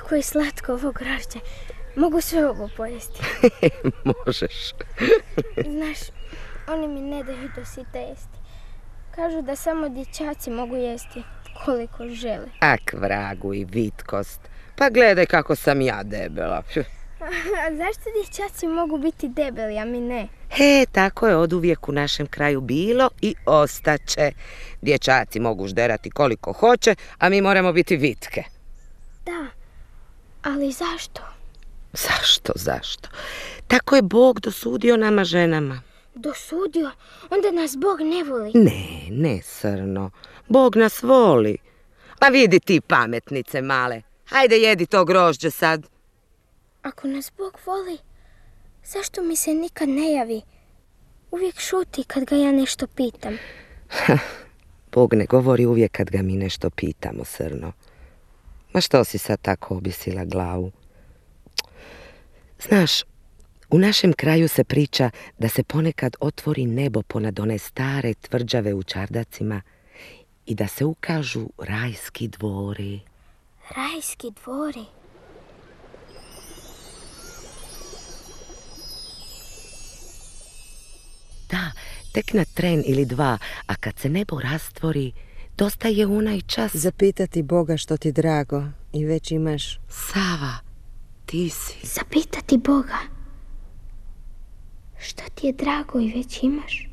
Kako je slatko ovo grožđe. Mogu sve ovo pojesti. Možeš. Znaš, oni mi ne daju do sita jesti. Kažu da samo dječaci mogu jesti koliko žele. Ak, vragu i vitkost. Pa gledaj kako sam ja debela. A zašto dječaci mogu biti debeli, a mi ne? Tako je oduvijek u našem kraju bilo i ostaće. Dječaci mogu žderati koliko hoće, a mi moramo biti vitke. Da, ali zašto? Zašto? Tako je Bog dosudio nama ženama. Dosudio? Onda nas Bog ne voli. Ne, Srno. Bog nas voli. Pa vidi ti pametnice male. Hajde jedi to grožđe sad. Ako nas Bog voli, zašto mi se nikad ne javi? Uvijek šuti kad ga ja nešto pitam. Bog ne govori uvijek kad ga mi nešto pitamo, Srno. Ma što si sad tako objesila glavu? Znaš, u našem kraju se priča da se ponekad otvori nebo ponad one stare tvrđave u čardacima i da se ukažu rajski dvori. Rajski dvori? Da, tek na tren ili dva, a kad se nebo rastvori, dosta je onaj čas zapitati Boga što ti drago i već imaš. Sava, ti si. Zapitati Boga što ti je drago i već imaš.